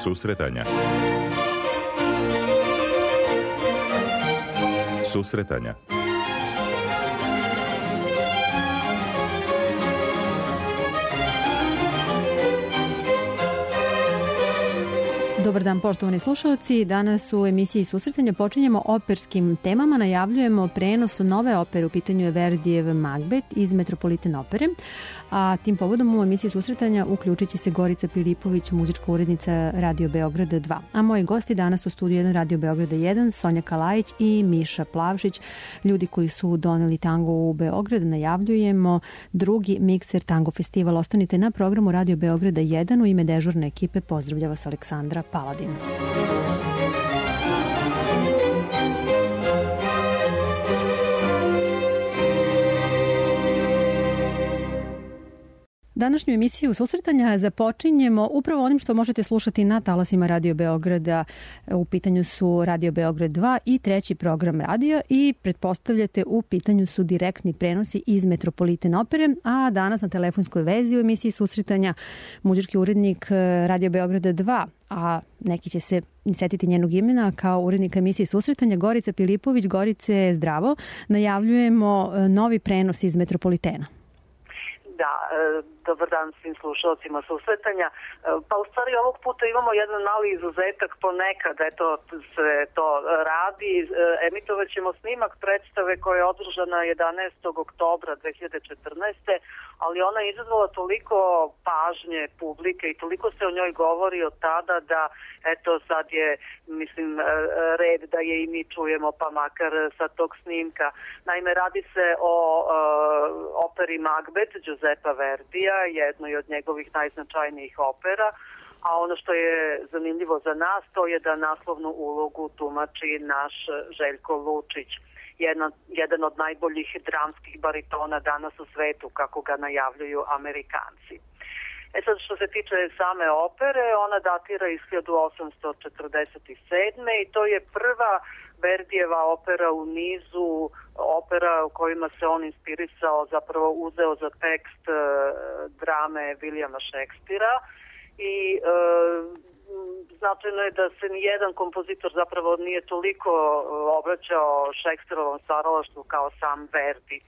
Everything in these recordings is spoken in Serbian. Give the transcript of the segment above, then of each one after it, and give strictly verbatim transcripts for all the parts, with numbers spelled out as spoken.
Susretanja. Susretanja. Dobar dan, poštovani slušalci. Danas u emisiji Susretanja počinjemo operskim temama. Najavljujemo prenos nove opere. U pitanju je Verdijev Magbet iz Metropolitan opere. A tim povodom u emisiji Susretanja uključit će se Gorica Pilipović, muzička urednica Radio Beograda dva. A moji gosti danas u studiju jedan Radio Beograda jedan, Sonja Kalajić i Miša Plavšić, ljudi koji su doneli tango u Beograd. Najavljujemo drugi Mikser tango festival. Ostanite na programu Radio Beograda jedan. U ime dežurne ekipe pozdravlja vas Aleksandra Paladin. Današnju emisiju Susretanja započinjemo upravo onim što možete slušati na talasima Radio Beograda. U pitanju su Radio Beograd dva i treći program radija i pretpostavljate u pitanju su direktni prenosi iz Metropolitan opere, a danas na telefonskoj vezi u emisiji Susretanja muzički urednik Radio Beograda dva, a neki će se setiti njenog imena kao urednika emisije Susretanja, Gorica Pilipović. Gorice, zdravo. Najavljujemo novi prenos iz Metropolitena. Da, dobar dan svim slušalcima Susretanja. Pa u stvari ovog puta imamo jedan mali izuzetak, ponekad eto se to radi. Emitovat ćemo snimak predstave koja je održana jedanaestog oktobra dve hiljade četrnaeste. ali ona je izazvala toliko pažnje publike i toliko se o njoj govori od tada da eto sad je, mislim, red da je i mi čujemo pa makar sa tog snimka. Naime, radi se o uh, operi Magbet Giuseppa Verdija, jednoj od njegovih najznačajnijih opera, a ono što je zanimljivo za nas to je da naslovnu ulogu tumači naš Željko Lučić. Jedan, jedan od najboljih dramskih baritona danas u svetu, kako ga najavljuju Amerikanci. E sad, što se tiče same opere, ona datira iz hiljadu osamsto četrdeset sedme. i to je prva Verdijeva opera u nizu opera u kojima se on inspirisao, zapravo uzeo za tekst e, drame Williama Shakespearea i e, značajno je da se nijedan kompozitor zapravo nije toliko obraćao Shakespearovom stvaralaštvu kao sam Verdi. E,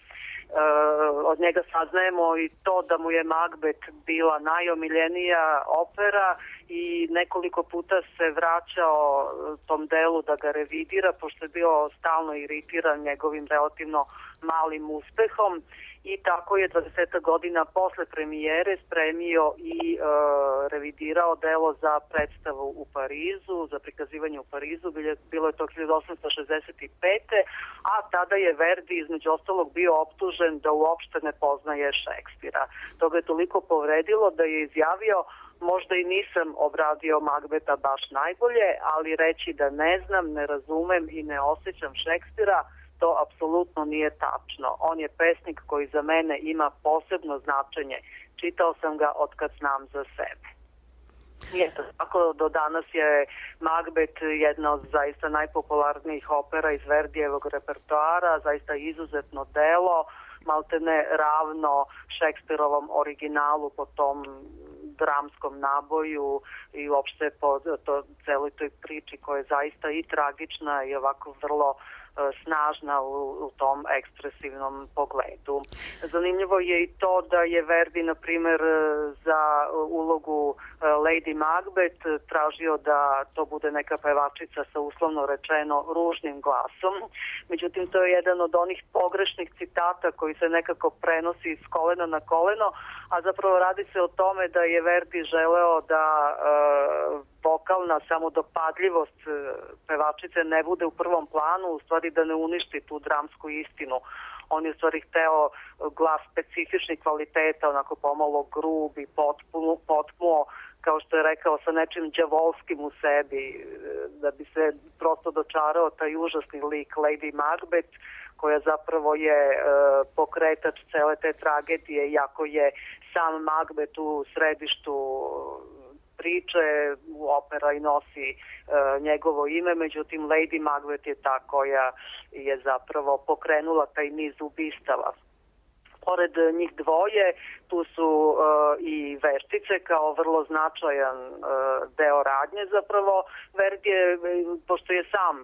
od njega saznajemo i to da mu je Magbet bila najomiljenija opera i nekoliko puta se vraćao tom delu da ga revidira, pošto je bio stalno iritiran njegovim relativno malim uspehom. I tako je dvadeset godina posle premijere spremio i e, revidirao delo za predstavu u Parizu, za prikazivanje u Parizu, bilo je to hiljadu osamsto šezdeset pete. a tada je Verdi između ostalog bio optužen da uopšte ne poznaje Šekspira. To ga je toliko povredilo da je izjavio: možda i nisam obradio Magbeta baš najbolje, ali reći da ne znam, ne razumem i ne osjećam Šekspira, to apsolutno nije tačno. On je pesnik koji za mene ima posebno značenje. Čitao sam ga od kad znam za sebe. I eto, tako do danas je Magbet jedna od zaista najpopularnijih opera iz Verdijevog repertoara, zaista izuzetno delo, maltene ravno Šekspirovom originalu po tom dramskom naboju i uopšte po to, celoj toj priči koja je zaista i tragična i ovako vrlo snažna u, u tom ekspresivnom pogledu. Zanimljivo je i to da je Verdi, na primjer, za ulogu Lady Magbet tražio da to bude neka pevačica sa uslovno rečeno ružnim glasom. Međutim, to je jedan od onih pogrešnih citata koji se nekako prenosi s kolena na koleno, a zapravo radi se o tome da je Verdi želeo da uh, vokalna samodopadljivost pevačice ne bude u prvom planu, u stvari da ne uništi tu dramsku istinu. On je u stvari hteo glas specifičnih kvaliteta, onako pomalo grub i potpuno, potpuno, kao što je rekao, sa nečim đavolskim u sebi, da bi se prosto dočarao taj užasni lik Lady Macbeth, koja zapravo je e, pokretač cele te tragedije, iako je sam Macbeth u središtu priče, opera i nosi e, njegovo ime, međutim Lady Macbeth je ta koja je zapravo pokrenula taj niz ubistava. Pored njih dvoje, tu su uh, i veštice kao vrlo značajan uh, deo radnje zapravo. Verdi je, pošto je sam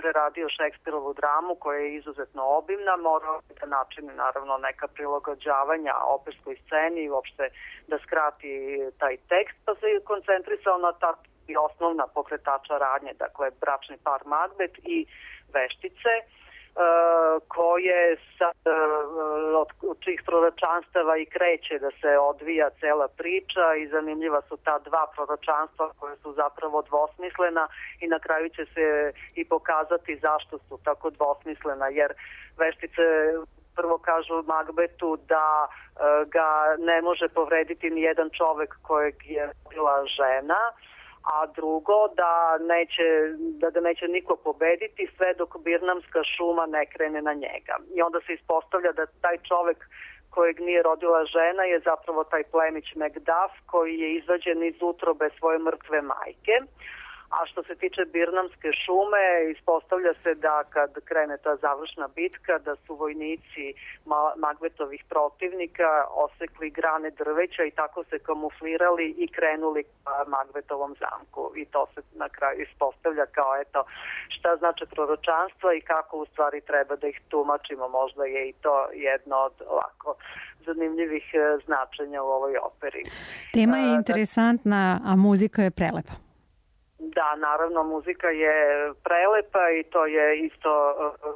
preradio Šekspirovu dramu koja je izuzetno obimna, morao da načini naravno neka prilagođavanja operskoj sceni i uopšte da skrati taj tekst, pa se koncentrisao na ta i osnovna pokretača radnje, dakle bračni par Magbet i veštice, Uh, koje sad, uh, od, od čijih proročanstava i kreće da se odvija cela priča i zanimljiva su ta dva proročanstva koje su zapravo dvosmislena i na kraju će se i pokazati zašto su tako dvosmislena, jer veštice prvo kažu Magbetu da uh, ga ne može povrediti ni jedan čovek kojeg je bila žena, a drugo da neće, da ga neće niko pobediti sve dok birnamska šuma ne krene na njega. I onda se ispostavlja da taj čovek kojeg nije rodila žena je zapravo taj plemić Macduff koji je izvađen iz utrobe svoje mrtve majke. A što se tiče birnamske šume, ispostavlja se da kad krene ta završna bitka, da su vojnici Magbetovih protivnika osekli grane drveća i tako se kamuflirali i krenuli ka Magbetovom zamku. I to se na kraju ispostavlja kao eto šta znači proročanstva i kako u stvari treba da ih tumačimo. Možda je i to jedno od ovako zanimljivih značenja u ovoj operi. Tema je interesantna, a muzika je prelepa. Da, naravno, muzika je prelepa i to je isto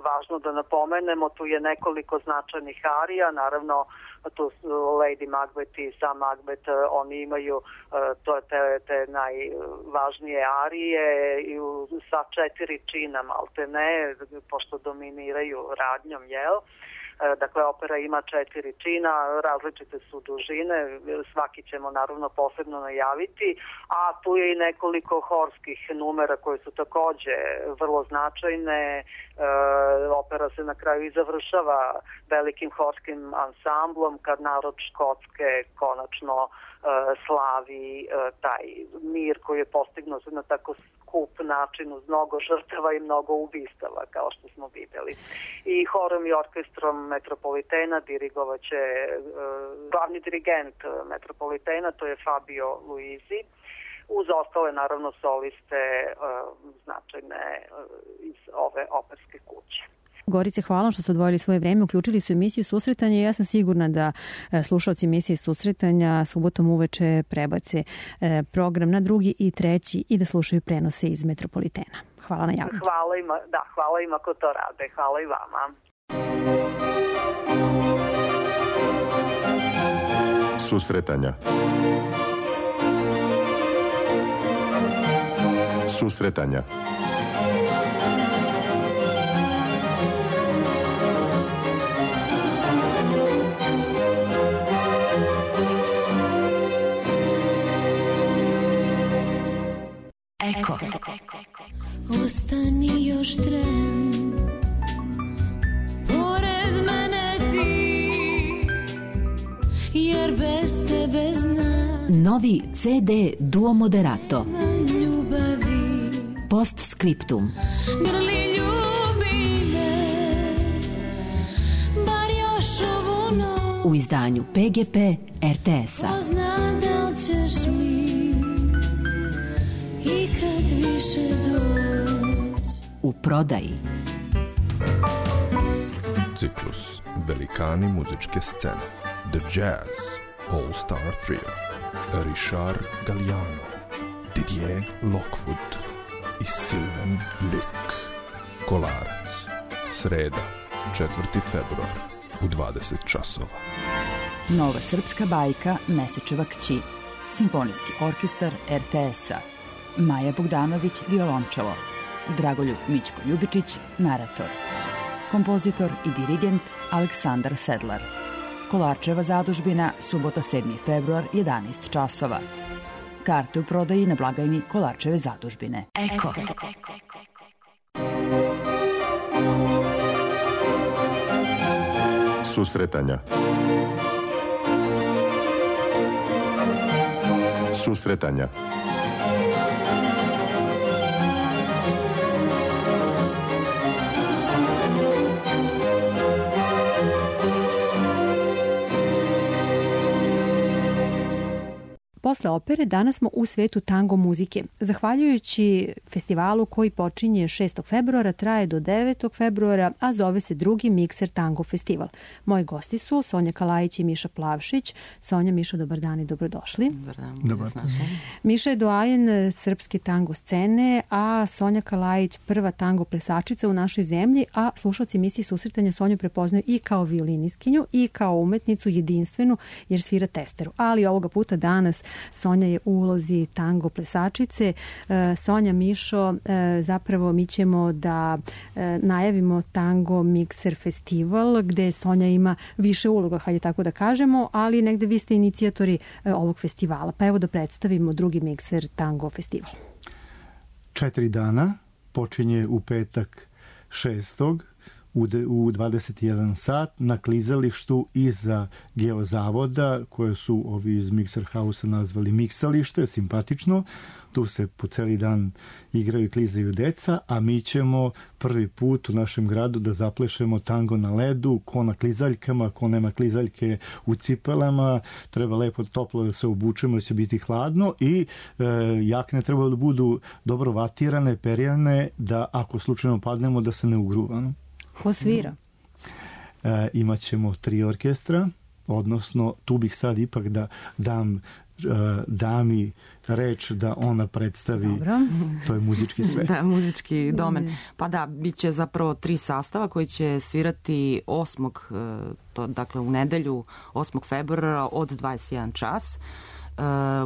važno da napomenemo. Tu je nekoliko značajnih arija, naravno tu su Lady Macbeth i sam Macbeth, oni imaju to, te, te najvažnije arije i u sva četiri čina malte ne, pošto dominiraju radnjom, jel? Dakle, opera ima četiri čina, različite su dužine, svaki ćemo naravno posebno najaviti, a tu je i nekoliko horskih numera koje su takođe vrlo značajne. E, opera se na kraju i završava velikim horskim ansamblom kad narod Škotske konačno e, slavi e, taj mir koji je postignuo na tako skup način uz mnogo žrtava i mnogo ubistava, kao što smo videli. I horom i orkestrom Metropolitena dirigovaće uh, glavni dirigent Metropolitena, to je Fabio Luisi, uz ostale naravno soliste uh, značajne uh, iz ove operske kuće. Gorice, hvala što ste odvojili svoje vreme, uključili su emisiju Susretanje i ja sam sigurna da slušalci emisije Susretanja subotom uveče prebace program na drugi i treći i da slušaju prenose iz Metropolitena. Hvala na javljanju. Hvala ima, da, hvala ima ko to rade. Hvala i vama. Susretanja. Susretanja. Eko. Ostani još tren, pored mene ti, jer bez tebe znam. Novi ce de Duo Moderato. Ljubavi. Post scriptum. Grli ljubi me, bar još ovu noć. U izdanju pe ge pe er te es-a. Ko zna da li ćeš mi ikad više doć. U prodaji. Ciklus Velikani muzičke scene. The Jazz All Star Trio. Richard Galliano, Didier Lockwood i Sylvain Luc. Kolarac. Sreda, četvrti februar u dvadeset časova. Nova srpska bajka Mesečeva kći. Simfonijski orkestar er te es-a. Maja Bogdanović, violončelo. Dragoljub Mićko Ljubičić, narator. Kompozitor i dirigent Aleksandar Sedlar. Kolarčeva zadužbina, subota sedmi februar, jedanaest časova. Karte u prodaji na blagajni Kolarčeve zadužbine. Eko. Susretanja. Susretanja. Posle opere danas smo u svetu tango muzike. Zahvaljujući festivalu koji počinje šestog februara, traje do devetog februara, a zove se drugi Mikser Tango festival. Moji gosti su Sonja Kalajić i Miša Plavšić. Sonja, Miša, dobar dan i dobrodošli. Dobar dan. Dobar. Miša je doajen srpske tango scene, a Sonja Kalajić prva tango plesačica u našoj zemlji, a slušalci emisije Susretanja Sonju prepoznaju i kao violiniskinju i kao umetnicu jedinstvenu jer svira testeru. Ali ovoga puta danas Sonja je u ulozi tango plesačice. Sonja, Mišo, zapravo mi ćemo da najavimo Tango Mikser festival gde Sonja ima više uloga, hajde tako da kažemo, ali negde vi ste inicijatori ovog festivala. Pa evo da predstavimo drugi Mikser Tango festival. Četiri dana, počinje u petak šestog u dvadeset jedan sat na klizalištu iza Geozavoda, koje su ovi iz Mikser Hausa nazvali miksalište, simpatično. Tu se po celi dan igraju i klizaju deca, a mi ćemo prvi put u našem gradu da zaplešemo tango na ledu, ko na klizaljkama, ko nema klizaljke u cipelama, treba lepo toplo da se obučemo, da će biti hladno i e, jakne treba da budu dobro vatirane, perjane, da ako slučajno padnemo da se ne ugruvamo. Ko svira? E, imat ćemo tri orkestra, odnosno tu bih sad ipak da dam dami reč da ona predstavi. Dobro. To je muzički svet. Da, muzički domen. Pa da, bit će zapravo tri sastava koji će svirati osmog To, dakle u nedelju osmog februara od dvadeset jedan čas.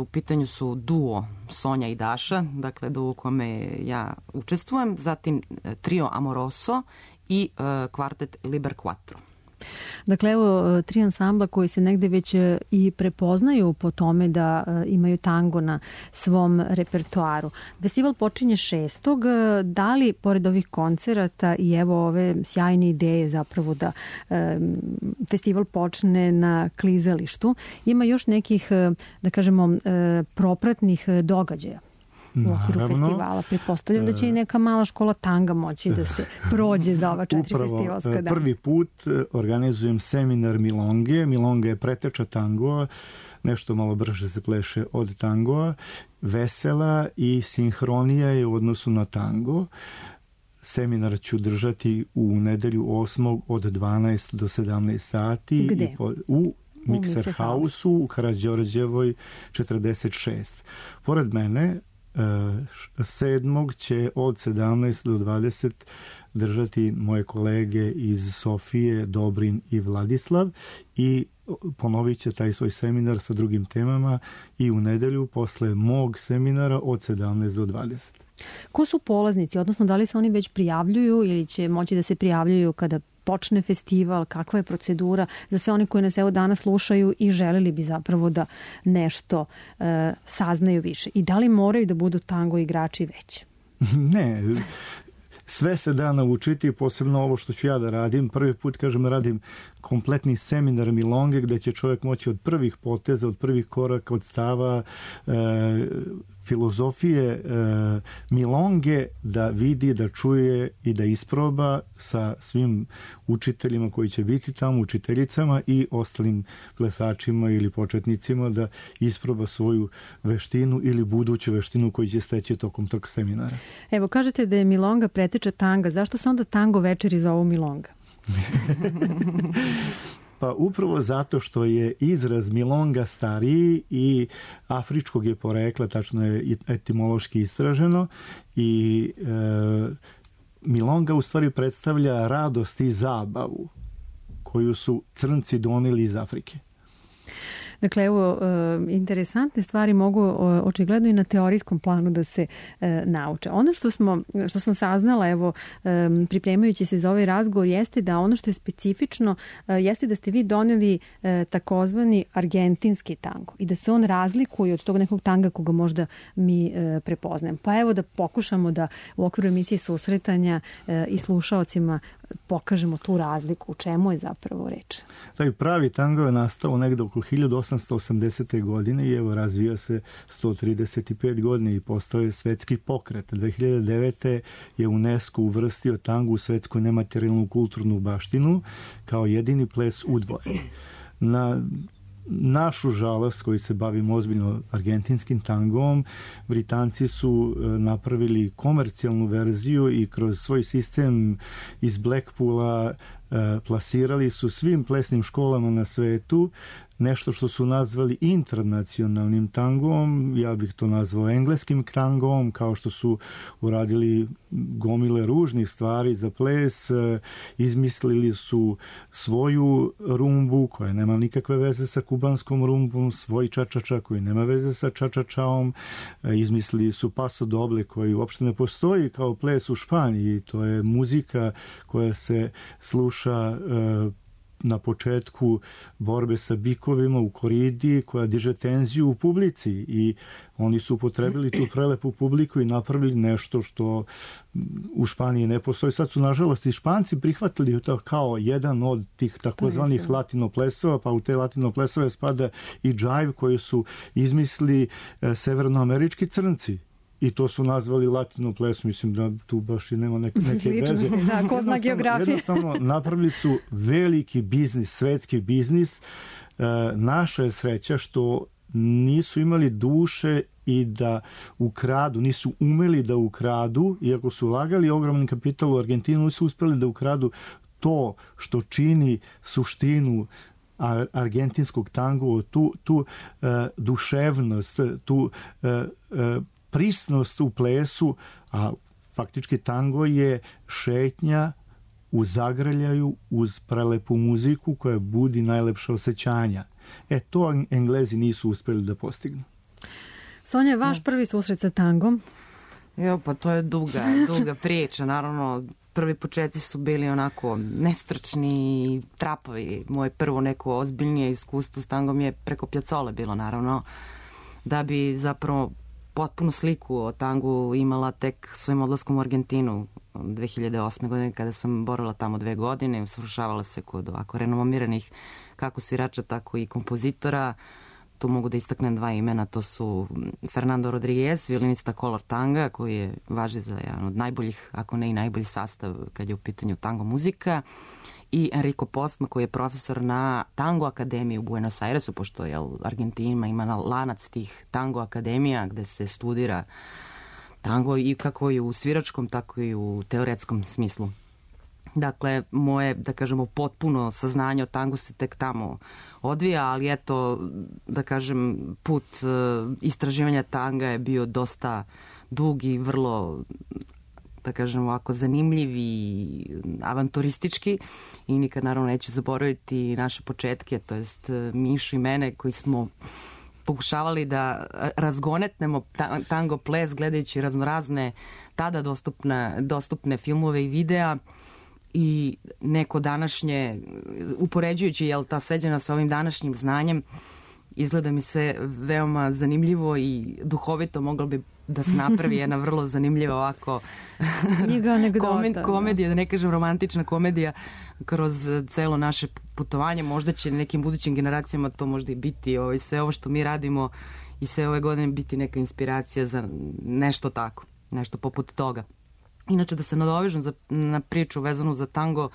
U pitanju su duo Sonja i Daša, dakle duo u kome ja učestvujem, zatim trio Amoroso i kvartet Liber Quattro. Dakle, evo tri ansambla koji se negde već i prepoznaju po tome da imaju tango na svom repertoaru. Festival počinje šestog Da li, pored ovih koncerata i evo ove sjajne ideje zapravo da e, festival počne na klizalištu, ima još nekih, da kažemo, e, propratnih događaja u okviru festivala? Pretpostavljam da će i neka mala škola tanga moći da se prođe za ova četiri Upravo, festivalska dana. Prvi put organizujem seminar Milonge. Milonga je preteča tangoa, nešto malo brže se pleše od tangoa, vesela i sinhronija je u odnosu na tango. Seminar ću držati u nedelju osmog od dvanaest do sedamnaest sati. Gde? I po, u Mikser Hausu u Karađorđevoj četrdeset šest. Pored mene sedmog će od sedamnaest do dvadeset držati moje kolege iz Sofije, Dobrin i Vladislav i ponovit će taj svoj seminar sa drugim temama i u nedelju posle mog seminara od sedamnaest do dvadeset. Ko su polaznici, odnosno da li se oni već prijavljuju ili će moći da se prijavljuju kada počne festival, kakva je procedura za sve oni koji nas evo danas slušaju i želeli bi zapravo da nešto e, saznaju više? I da li moraju da budu tango igrači već? Ne, sve se da naučiti, posebno ovo što ću ja da radim. Prvi put, kažem, radim kompletni seminar Milonge gde će čovjek moći od prvih poteza, od prvih koraka, od stava, e, filozofije e, Milonge da vidi, da čuje i da isproba sa svim učiteljima koji će biti tamo, učiteljicama i ostalim plesačima ili početnicima da isproba svoju veštinu ili buduću veštinu koju će steći tokom tog seminara. Evo, kažete da je Milonga preteča tanga. Zašto se onda tango večeri zovu Milonga? Pa upravo zato što je izraz Milonga stariji i afričkog je porekla, tačno je etimološki istraženo i e, Milonga u stvari predstavlja radost i zabavu koju su crnci doneli iz Afrike. Dakle, evo, interesantne stvari mogu očigledno i na teorijskom planu da se nauče. Ono što smo, što sam saznala, evo, pripremajući se za ovaj razgovor, jeste da ono što je specifično, jeste da ste vi doneli takozvani argentinski tango i da se on razlikuje od tog nekog tanga koga možda mi prepoznajem. Pa evo da pokušamo da u okviru emisije Susretanja i slušaocima pokažemo tu razliku, u čemu je zapravo reč. Taj pravi tango je nastao negde oko hiljadu osamsto osamdesete godine i evo razvija se sto trideset pet godina i postao je svetski pokret. dve hiljade devete je UNESCO uvrstio tango u svetsku nematerijalnu kulturnu baštinu kao jedini ples u dvoje. Na našu žalost koji se bavimo ozbiljno argentinskim tangom, Britanci su napravili komercijalnu verziju i kroz svoj sistem iz Blackpoola plasirali su svim plesnim školama na svetu nešto što su nazvali internacionalnim tangom, ja bih to nazvao engleskim tangom, kao što su uradili gomile ružnih stvari za ples, izmislili su svoju rumbu koja nema nikakve veze sa kubanskom rumbom, svoj čačača koji nema veze sa čačačaom, izmislili su paso doble koji uopšte ne postoji kao ples u Španiji, to je muzika koja se sluša na početku borbe sa bikovima u koridi koja diže tenziju u publici i oni su upotrebili tu prelepu publiku i napravili nešto što u Španiji ne postoji. Sad su nažalost i Španci prihvatili to kao jedan od tih takozvanih latino plesova, pa u te latino plesove spada i džajv koji su izmislili severnoamerički crnci. I to su nazvali latino ples, mislim da tu baš i nema neke, neke veze. Da, ko zna geografije. Jednostavno, napravili su veliki biznis, svetski biznis. E, naša je sreća što nisu imali duše i da ukradu, nisu umeli da ukradu, iako su ulagali ogromni kapital u Argentinu, nisu uspeli da ukradu to što čini suštinu argentinskog tango, tu, tu uh, duševnost, tu uh, uh, prisnost u plesu, a faktički tango je šetnja u zagrljaju uz prelepu muziku koja budi najlepša osjećanja. E, to Englezi nisu uspeli da postignu. Sonja, vaš ja. prvi susret sa tangom? Jo, pa to je duga, duga priča. Naravno, prvi početci su bili onako nestručni i trapovi. Moje prvo neko ozbiljnije iskustvo s tangom je preko Piazzole bilo, naravno, da bi zapravo potpunu sliku o tangu imala tek svojim odlaskom u Argentinu dve hiljade osme. godine kada sam borila tamo dve godine i usvršavala se kod ovako renomiranih kako svirača, tako i kompozitora. Tu mogu da istaknem dva imena, to su Fernando Rodriguez, violinista Color Tanga, koji je važi za jedan od najboljih, ako ne i najbolji sastav kad je u pitanju tango muzika, i Enrico Postma, koji je profesor na Tango akademiji u Buenos Airesu, pošto je Argentina ima lanac tih tango akademija gde se studira tango i kako i u sviračkom, tako i u teoretskom smislu. Dakle, moje, da kažemo, potpuno saznanje o tangu se tek tamo odvija, ali eto, da kažem, put istraživanja tanga je bio dosta dug i vrlo, da kažem ovako, zanimljiv i avanturistički i nikad naravno neću zaboraviti naše početke, to jest Mišu i mene koji smo pokušavali da razgonetnemo tango ples gledajući raznorazne tada dostupne, dostupne filmove i videa i neko današnje, upoređujući jel, ta sveđena sa ovim današnjim znanjem, izgleda mi sve veoma zanimljivo i duhovito, moglo bi da se napravi jedna vrlo zanimljiva ovako komedija, komedija, da ne kažem romantična komedija kroz celo naše putovanje. Možda će nekim budućim generacijama to možda i biti ovaj, sve ovo što mi radimo i sve ove godine biti neka inspiracija za nešto tako, nešto poput toga. Inače, da se nadovežem za, na priču vezanu za tango,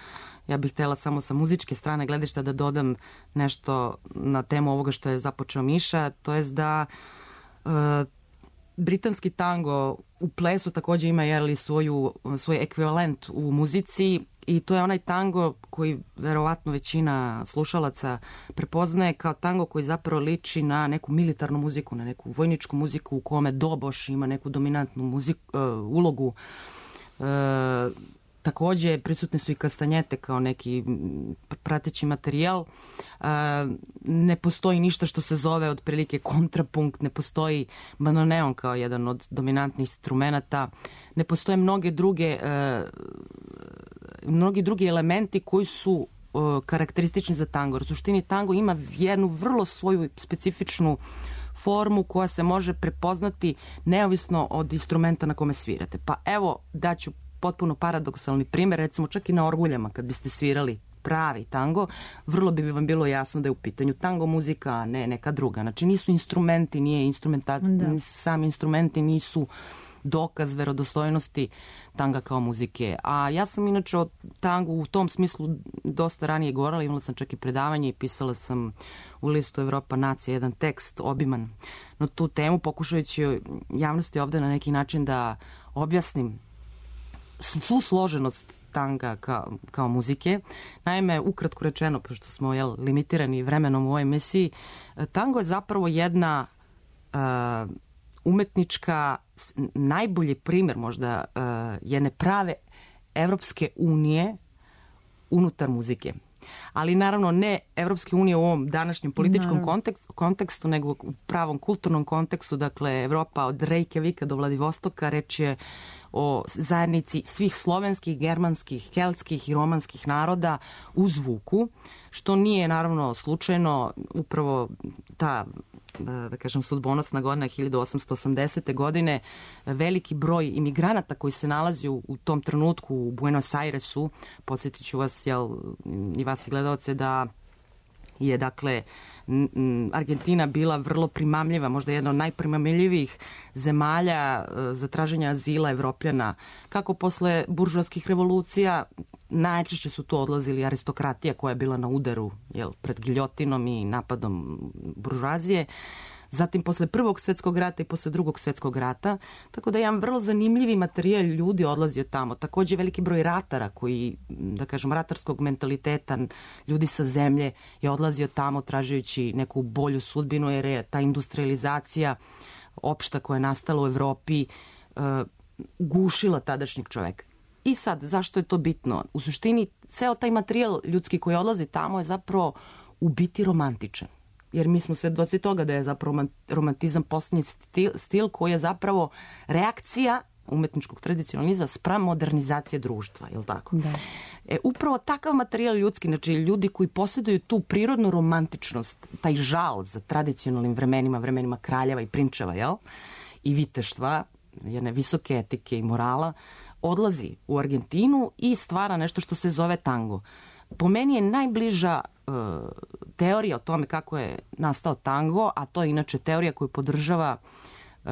ja bih htjela samo sa muzičke strane gledišta da dodam nešto na temu ovoga što je započeo Miša, to je da e, britanski tango u plesu također ima jeli, svoju, svoj ekvivalent u muzici i to je onaj tango koji verovatno većina slušalaca prepoznaje kao tango koji zapravo liči na neku militarnu muziku, na neku vojničku muziku u kome doboš ima neku dominantnu muziku, uh, ulogu. Uh, također prisutne su i kastanjete kao neki prateći materijal. Uh, ne postoji ništa što se zove otprilike kontrapunkt, ne postoji bandoneon kao jedan od dominantnih instrumenata, ne postoje mnoge druge uh, mnogi drugi elementi koji su uh, karakteristični za tango. U suštini tango ima jednu vrlo svoju specifičnu formu koja se može prepoznati neovisno od instrumenta na kome svirate. Pa evo daću potpuno paradoksalni primjer, recimo čak i na orguljama kad biste svirali pravi tango, vrlo bi vam bilo jasno da je u pitanju tango muzika, a ne neka druga. Znači nisu instrumenti, nije instrumenta, sami instrumenti nisu dokaz verodostojnosti tanga kao muzike. A ja sam inače o tangu u tom smislu dosta ranije govorila, imala sam čak i predavanje i pisala sam u listu Evropa nacija jedan tekst obiman na tu temu, pokušajući javnosti ovde na neki način da objasnim svu složenost tanga kao, kao muzike. Naime, ukratko rečeno, pošto smo jel, limitirani vremenom u ovoj emisiji, tango je zapravo jedna uh, umetnička, najbolji primjer možda uh, jedne prave Evropske unije unutar muzike. Ali naravno ne Evropske unije u ovom današnjem političkom kontekstu, kontekstu, nego u pravom kulturnom kontekstu, dakle Evropa od Reykjavika do Vladivostoka, reč je o zajednici svih slovenskih, germanskih, keltskih i romanskih naroda u zvuku, što nije naravno slučajno. Upravo ta, da kažem, sudbonosna godina hiljadu osamsto osamdesete. godine, veliki broj imigranata koji se nalazi u, u tom trenutku u Buenos Airesu, podsjetit ću vas, jel, i vas i gledalce, da je, dakle, Argentina bila vrlo primamljiva, možda jedna od najprimamljivijih zemalja za traženje azila Evropljana. Kako posle buržoaskih revolucija, najčešće su tu odlazili aristokratija koja je bila na udaru, jel, pred giljotinom i napadom buržoazije. Zatim posle Prvog svjetskog rata i posle Drugog svjetskog rata, tako da je jedan vrlo zanimljivi materijal ljudi odlazio tamo. Takođe veliki broj ratara koji, da kažem, ratarskog mentaliteta, ljudi sa zemlje je odlazio tamo tražujući neku bolju sudbinu, jer je ta industrializacija opšta koja je nastala u Evropi uh, gušila tadašnjeg čoveka. I sad, zašto je to bitno? U suštini, ceo taj materijal ljudski koji odlazi tamo je zapravo u biti romantičan. Jer mi smo svedoci toga da je zapravo romantizam posljednji stil, stil koji je zapravo reakcija umetničkog tradicionalizma spram modernizacije društva, je li tako? Da. E, upravo takav materijal ljudski, znači ljudi koji posjeduju tu prirodnu romantičnost, taj žal za tradicionalnim vremenima, vremenima kraljeva i prinčeva, jel? I viteštva, jedne visoke etike i morala, odlazi u Argentinu i stvara nešto što se zove tango. Po meni je najbliža uh, teorija o tome kako je nastao tango, a to je inače teorija koju podržava uh,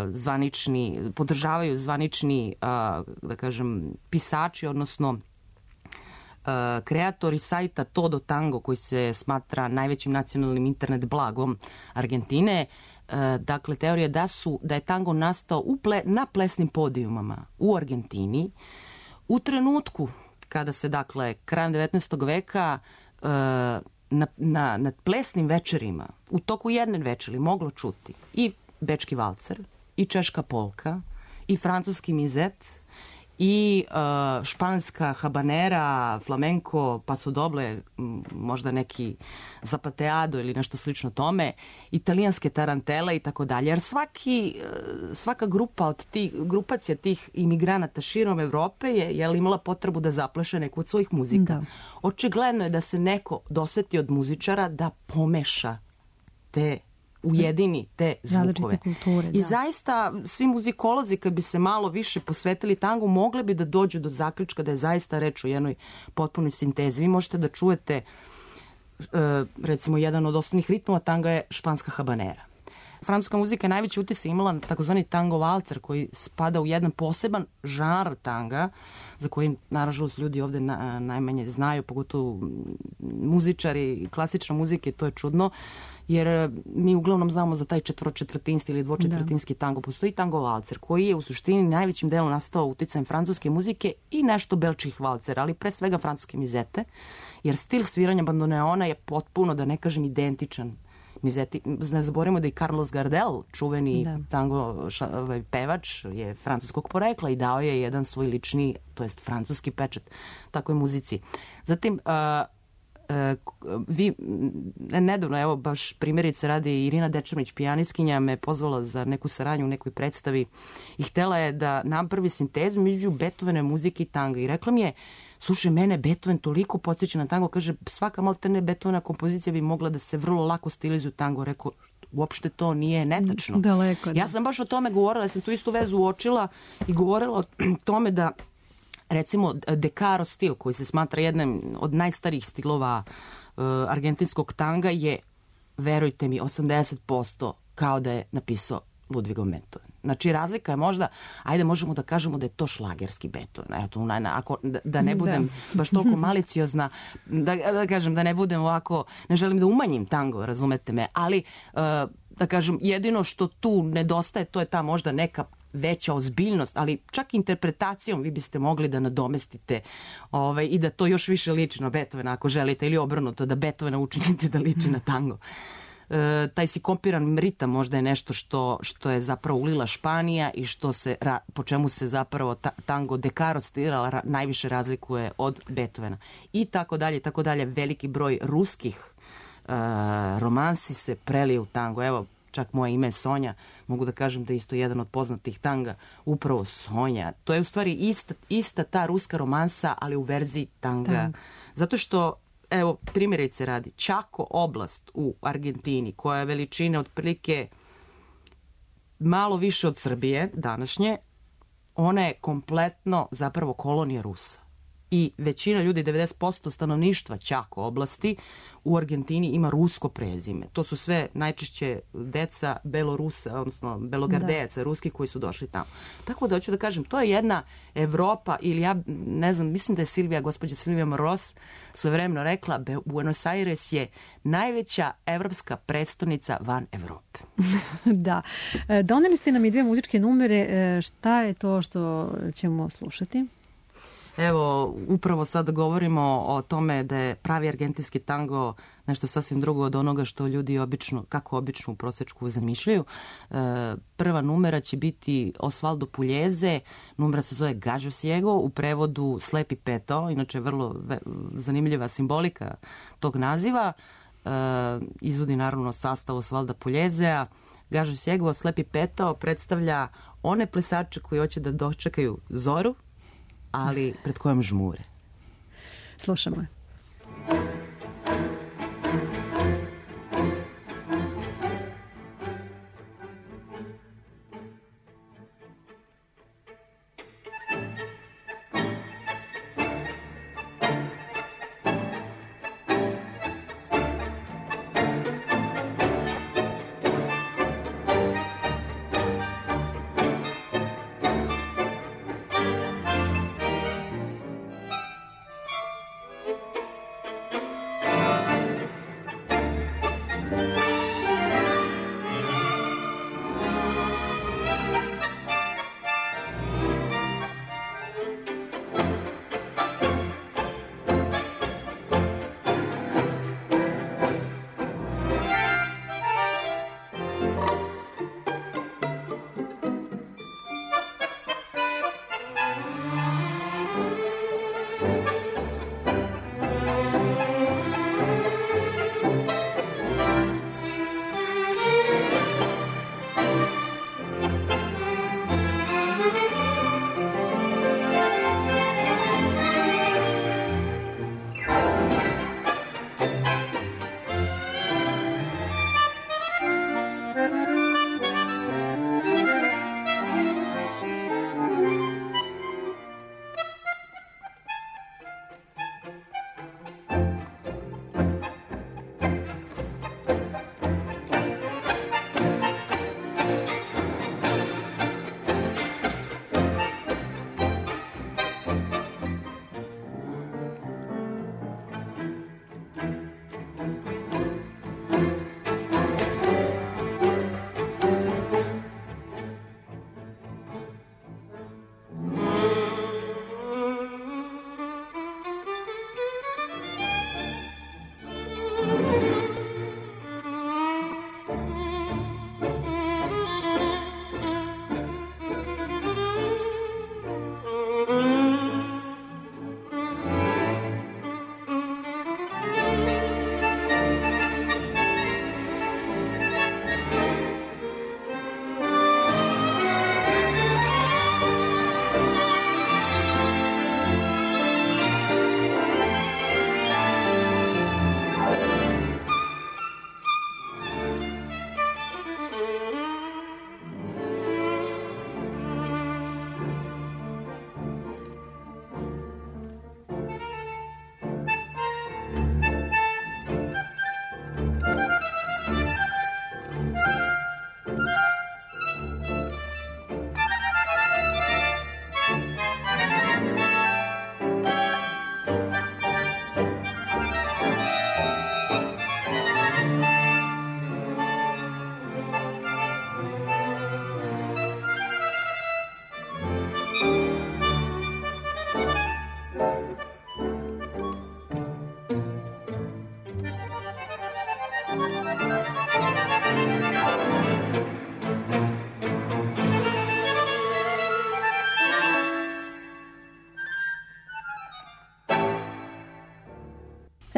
zvanični, podržavaju zvanični, uh, da kažem, pisači, odnosno uh, kreatori sajta Todo Tango, koji se smatra najvećim nacionalnim internet blagom Argentine. Uh, dakle, teorija da su, da je tango nastao u ple, na plesnim podijumama u Argentini u trenutku kada se, dakle, krajem devetnaestog veka uh, na, na, na plesnim večerima, u toku jedne večeri moglo čuti i bečki valcer, i češka polka, i francuski mizet, i uh, španska habanera, flamenko, paso doble, možda neki zapateado ili nešto slično tome, italijanske tarantele i tako dalje. Jer svaki, svaka grupa od tih, grupacija tih imigranata širom Evrope je, je imala potrebu da zapleše neku od svojih muzika. Da. Očigledno je da se neko doseti od muzičara da pomeša te ujedini te zvukove. Kulture, I da. zaista svi muzikolozi kad bi se malo više posvetili tangu mogli bi da dođu do zaključka da je zaista reč o jednoj potpunoj sintezi. Vi možete da čujete uh, recimo jedan od osnovnih ritmova tanga je španska habanera. Francuska muzika je najveći utisak imala na takozvani tango valcer koji spada u jedan poseban žanr tanga za koji nažalost ljudi ovde na, najmanje znaju, pogotovo muzičari klasične muzike, to je čudno. Jer mi uglavnom znamo za taj četvročetvrtinski ili dvočetvrtinski tango. Postoji tango valcer koji je u suštini najvećim delom nastao uticajem francuske muzike i nešto belčih valcera, ali pre svega francuske mizete, jer stil sviranja bandoneona je potpuno, da ne kažem, identičan mizeti. Ne zaboravimo da i Carlos Gardel, čuveni da. tango ša, ovaj, pevač, je francuskog porekla i dao je jedan svoj lični, to jest francuski pečat takoj muzici. Zatim, uh, vi, nedavno, evo baš primjerice radi Irina Dečermić, pijanistkinja, me pozvala za neku saradnju u nekoj predstavi i htela je da napravi sintezu među Beethovenove muzike i tanga i rekla mi je, slušaj, mene Beethoven toliko podsjeća na tango, kaže, svaka maltene Beethovena kompozicija bi mogla da se vrlo lako stilizuje u tango. Rekao, uopšte to nije netačno. Daleko, da. Ja sam baš o tome govorila, ja sam tu istu vezu uočila i govorila o tome da recimo Decaro stil, koji se smatra jednim od najstarijih stilova uh, argentinskog tanga, je, verujte mi, osamdeset posto kao da je napisao Ludwigom Beethoven. Znači, razlika je možda, ajde možemo da kažemo da je to šlagerski Beethoven. Eto, ako, da, da ne budem da. baš toliko maliciozna, da, da kažem, da ne budem ovako, ne želim da umanjim tango, razumete me, ali uh, da kažem, jedino što tu nedostaje, to je ta možda neka veća ozbiljnost, ali čak interpretacijom vi biste mogli da nadomestite ovaj, i da to još više liči na Beethovena ako želite, ili obrnuto, da Beethovena učinite da liči na tango. E, taj sinkopiran ritam možda je nešto što, što je zapravo ulila Španija i što se, po čemu se zapravo ta, tango de caro stila ra, najviše razlikuje od Beethovena. I tako dalje, tako dalje, veliki broj ruskih e, romansi se prelije u tango. Evo, čak moje ime je Sonja, mogu da kažem da je isto jedan od poznatih tanga, upravo Sonja. To je u stvari ista, ista ta ruska romansa, ali u verziji tanga. Tang. Zato što, evo, primjerice radi, Chaco oblast u Argentini, koja je veličine otprilike malo više od Srbije današnje, ona je kompletno zapravo kolonija Rusa. I većina ljudi, devedeset posto stanovništva Chaco oblasti u Argentini ima rusko prezime. To su sve najčešće deca Belorusa, odnosno Belogardejaca, da. Ruski koji su došli tamo. Tako da hoću da kažem, to je jedna Evropa, ili ja ne znam, mislim da je Silvija, gospođa Silvija Moros svojevremeno rekla, Buenos Aires je najveća evropska prestonica van Evrope. Da. Doneli ste nam i dve muzičke numere. Šta je to što ćemo slušati? Evo, upravo sad govorimo o tome da je pravi argentinski tango nešto sasvim drugo od onoga što ljudi obično, kako obično u prosečku zamišljaju. E, prva numera će biti Osvaldo Pugliese, numera se zove Gallo Ciego, u prevodu Slepi Petao, inače vrlo ve, zanimljiva simbolika tog naziva. E, izvodi naravno sastav Osvalda Pugliesea. Gallo Ciego, Slepi Petao predstavlja one plesače koji hoće da dočekaju zoru, ali pred kojom žmure. Slušamo je. Thank you.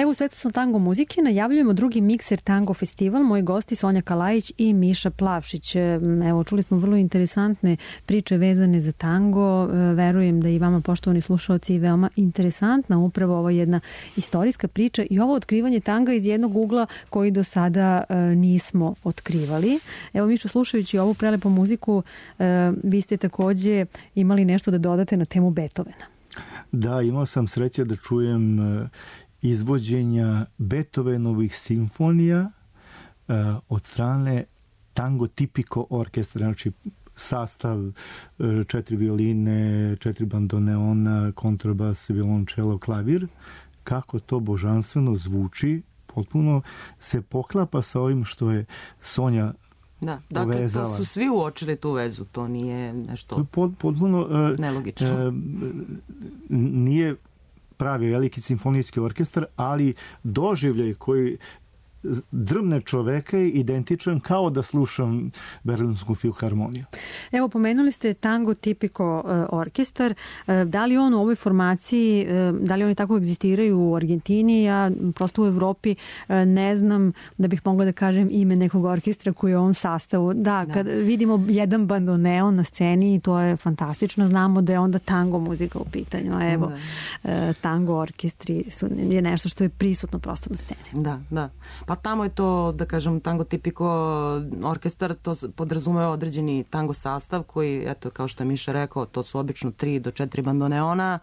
Evo u Svetosnom tango muzike najavljujemo drugi Mikser tango festival. Moji gosti Sonja Kalajić i Miša Plavšić. Evo, čuli smo vrlo interesantne priče vezane za tango. Verujem da i vama, poštovani slušalci, veoma interesantna upravo ova jedna istorijska priča i ovo otkrivanje tanga iz jednog ugla koji do sada nismo otkrivali. Evo, Mišo, slušajući ovu prelepu muziku, vi ste takođe imali nešto da dodate na temu Beethovena. Da, imao sam sreće da čujem izvođenja Beethovenovih simfonija od strane Tango Tipico orkestra, znači sastav četiri violine, četiri bandoneona, kontrabas, violončelo, klavir. Kako to božanstveno zvuči, potpuno se poklapa sa ovim što je Sonja Da, dakle, povezala. to su svi uočili tu vezu, to nije nešto potpuno uh, nelogično. Uh, nije pravi veliki simfonijski orkestar, ali doživljaj koji drmne čoveka je identičan kao da slušam Berlinsku filharmoniju. Evo, pomenuli ste Tango Tipico orkestar. Da li on u ovoj formaciji, da li oni tako egzistiraju u Argentini? Ja prosto u Evropi ne znam da bih mogla da kažem ime nekog orkestra koji je u ovom sastavu. Da, da. Kad vidimo jedan bandoneon na sceni, to je fantastično. Znamo da je onda tango muzika u pitanju. A evo, da. Tango orkestri su, je nešto što je prisutno prosto na sceni. Da, da. Pa tamo je to, da kažem, Tango Tipico orkestar, to podrazumeva određeni tango sastav koji, eto, kao što je Miša rekao, to su obično tri do četiri bandoneona,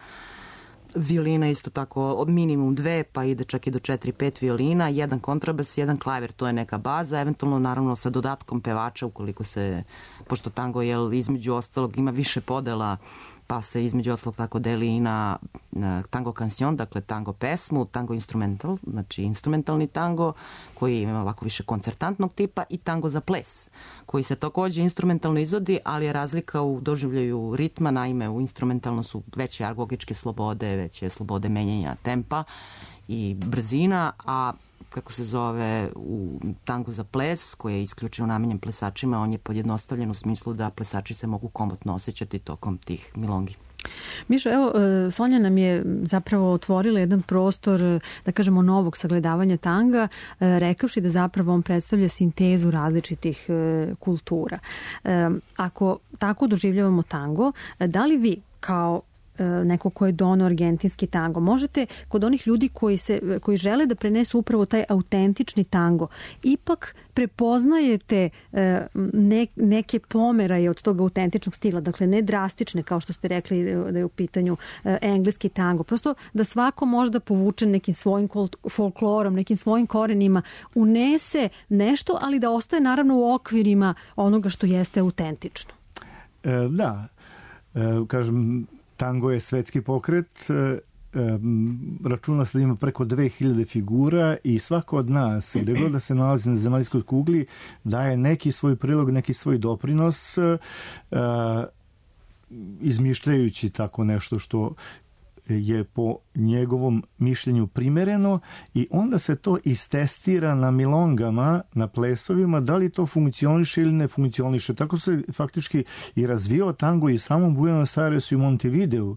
violina isto tako od minimum dve, pa ide čak i do četiri, pet violina, jedan kontrabas, jedan klavir, to je neka baza, eventualno naravno sa dodatkom pevača ukoliko se, pošto tango je između ostalog ima više podela, pa se između ostalog tako deli i na, na tango kansion, dakle tango pesmu, tango instrumental, znači instrumentalni tango koji ima ovako više koncertantnog tipa i tango za ples, koji se takođe instrumentalno izvodi, ali je razlika u doživljaju ritma, naime u instrumentalno su veće argogičke slobode, veće slobode menjanja tempa i brzina, a kako se zove u tangu za ples, koji je isključivo namenjen plesačima, on je podjednostavljen u smislu da plesači se mogu komotno osjećati tokom tih milongi. Mišo, evo, Sonja nam je zapravo otvorila jedan prostor, da kažemo, novog sagledavanja tanga, rekavši da zapravo on predstavlja sintezu različitih kultura. Ako tako doživljavamo tango, da li vi kao neko ko je doneo argentinski tango, možete kod onih ljudi koji, se, koji žele da prenesu upravo taj autentični tango, ipak prepoznajete ne, neke pomeraje od tog autentičnog stila, dakle ne drastične kao što ste rekli da je u pitanju engleski tango, prosto da svako možda povuče nekim svojim folklorom, nekim svojim korenima, unese nešto, ali da ostaje naravno u okvirima onoga što jeste autentično. E, da, e, kažem, tango je svetski pokret, računa se da ima preko dve hiljade figura i svako od nas, gde god da se nalazi na zemaljskoj kugli, daje neki svoj prilog, neki svoj doprinos, izmišljajući tako nešto što je po njegovom mišljenju primereno i onda se to istestira na milongama, na plesovima, da li to funkcioniše ili ne funkcioniše. Tako se faktički i razvio tango i samom Buenos Airesu i Montevideu,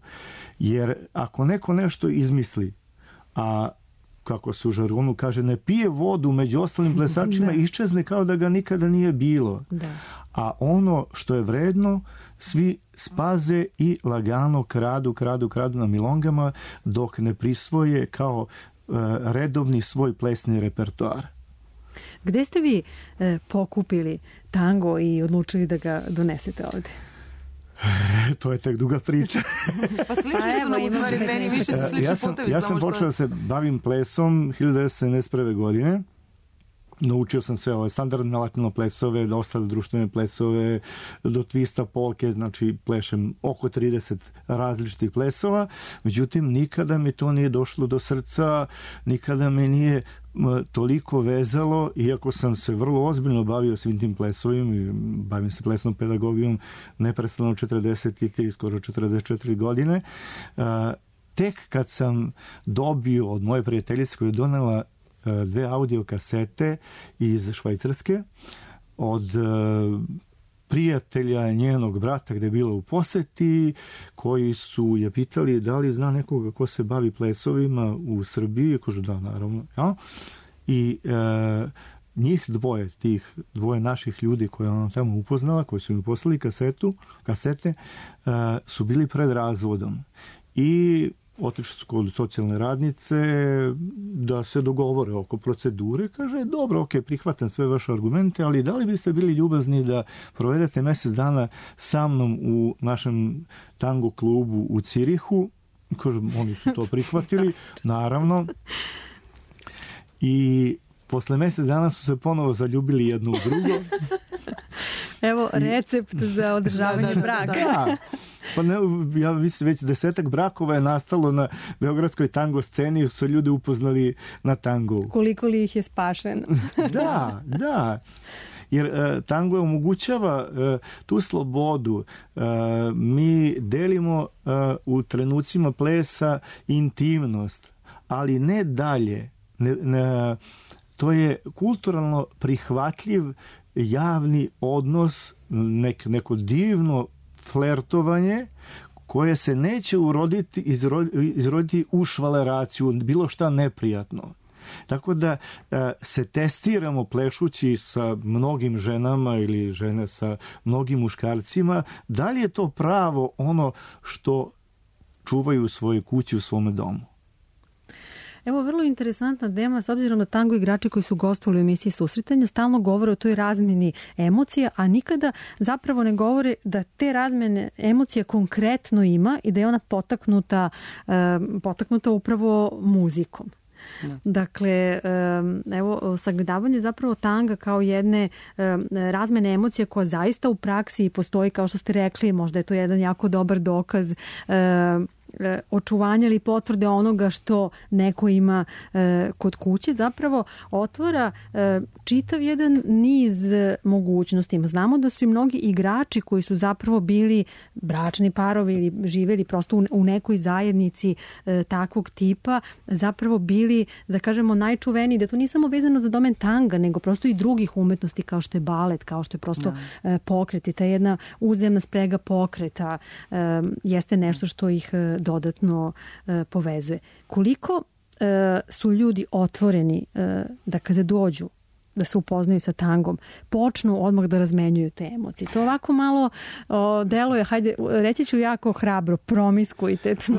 jer ako neko nešto izmisli, a kako se u žargonu kaže, ne pije vodu među ostalim plesačima, iščezne kao da ga nikada nije bilo. Da. A ono što je vredno, svi spaze i lagano kradu, kradu, kradu na milongama, dok ne prisvoje kao uh, redovni svoj plesni repertoar. Gde ste vi e, pokupili tango i odlučili da ga donesete ovde? To je tek duga priča. Pa slični su nam u stvari, meni više su slični ja sam, putevi. Ja sam počeo da se bavim plesom hiljadu devetsto sedamdeset prve. godine. Naučio sam sve ove standardne latino plesove, do ostale društvene plesove, do twista, polke, znači plešem oko trideset različitih plesova. Međutim, nikada mi to nije došlo do srca, nikada me nije toliko vezalo, iako sam se vrlo ozbiljno bavio svim tim plesovima i bavim se plesnom pedagogijom neprestano četrdeset tri, skoro četrdeset četiri godine. Tek kad sam dobio od moje prijateljice koja je donela dve audio kasete iz Švajcarske od prijatelja njenog brata gde je bila u poseti, koji su je pitali da li zna nekoga ko se bavi plesovima u Srbiji. Kažu da, naravno. Ja? I e, njih dvoje, tih dvoje naših ljudi koje ona tamo upoznala, koji su mi poslali kasetu, kasete, e, su bili pred razvodom. I otišli su kod socijalne radnice da se dogovore oko procedure. Kaže, dobro, ok, prihvatam sve vaše argumente, ali da li biste bili ljubazni da provedete mesec dana sa mnom u našem tango klubu u Cirihu? Kaže, oni su to prihvatili, naravno. I posle mesec dana su se ponovo zaljubili jedno u drugo. Evo recept I... za održavanje braka. Da, pa ne, ja mislim već desetak brakova je nastalo na beogradskoj tango sceni, su ljudi upoznali na tangu. Koliko li ih je spašeno? Da, da. Jer e, tango omogućava e, tu slobodu. E, mi delimo e, u trenucima plesa intimnost, ali ne dalje. Ne, ne, to je kulturalno prihvatljiv javni odnos, nek, neko divno flertovanje koje se neće uroditi, izroditi, izroditi u švaleraciju, bilo šta neprijatno. Tako da e, se testiramo plešući sa mnogim ženama ili žene sa mnogim muškarcima, da li je to pravo ono što čuvaju u svojoj kući, u svome domu. Evo, vrlo interesantna tema, s obzirom da tango igrači koji su gostovali u emisiji Susretanja stalno govore o toj razmeni emocija, a nikada zapravo ne govore da te razmene emocija konkretno ima i da je ona potaknuta, potaknuta upravo muzikom. Da. Dakle, evo, sagledavanje zapravo tanga kao jedne razmene emocije koja zaista u praksi postoji, kao što ste rekli, možda je to jedan jako dobar dokaz očuvanja ili potvrde onoga što neko ima e, kod kuće, zapravo otvara e, čitav jedan niz mogućnosti. Znamo da su i mnogi igrači koji su zapravo bili bračni parovi ili živeli prosto u, u nekoj zajednici e, takvog tipa, zapravo bili, da kažemo, najčuveniji, da to nije samo vezano za domen tanga, nego prosto i drugih umetnosti kao što je balet, kao što je prosto e, pokret i ta jedna uzemna sprega pokreta e, jeste nešto što ih e, dodatno e, povezuje. Koliko e, su ljudi otvoreni e, da kada dođu da se upoznaju sa tangom, počnu odmah da razmenjuju te emocije. To ovako malo o, deluje, hajde, reći ću jako hrabro, promiskuitetno.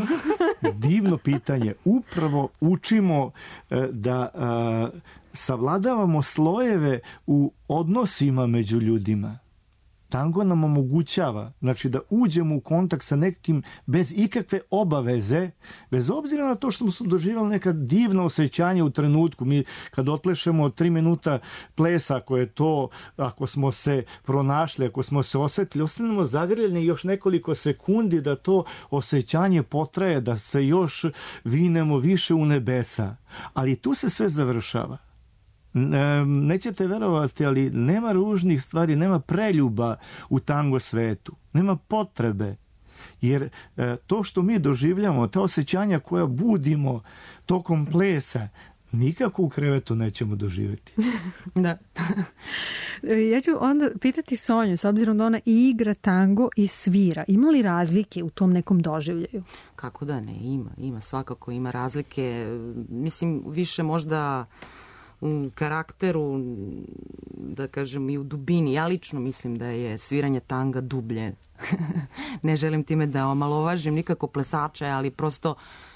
Divno pitanje. Upravo učimo e, da e, savladavamo slojeve u odnosima među ljudima. Tango nam omogućava, znači, da uđemo u kontakt sa nekim bez ikakve obaveze, bez obzira na to što smo doživjeli neka divna osjećanja u trenutku. Mi kad otplešemo tri minuta plesa, ako je to, ako smo se pronašli, ako smo se osjetili, ostanemo zagrljeni još nekoliko sekundi da to osjećanje potraje, da se još vinemo više u nebesa. Ali tu se sve završava. Nećete verovati, ali nema ružnih stvari, nema preljuba u tango svetu, nema potrebe, jer to što mi doživljamo, ta osjećanja koja budimo tokom plesa, nikako u krevetu nećemo doživjeti. Da. Ja ću onda pitati Sonju, s obzirom da ona i igra tango i svira. Ima li razlike u tom nekom doživljaju? Kako da ne, ima, ima, svakako ima razlike. Mislim, više možda u karakteru, da kažem, i u dubini. Ja lično mislim da je sviranje tanga dublje. Ne želim time da omalovažim nikako plesače, ali prosto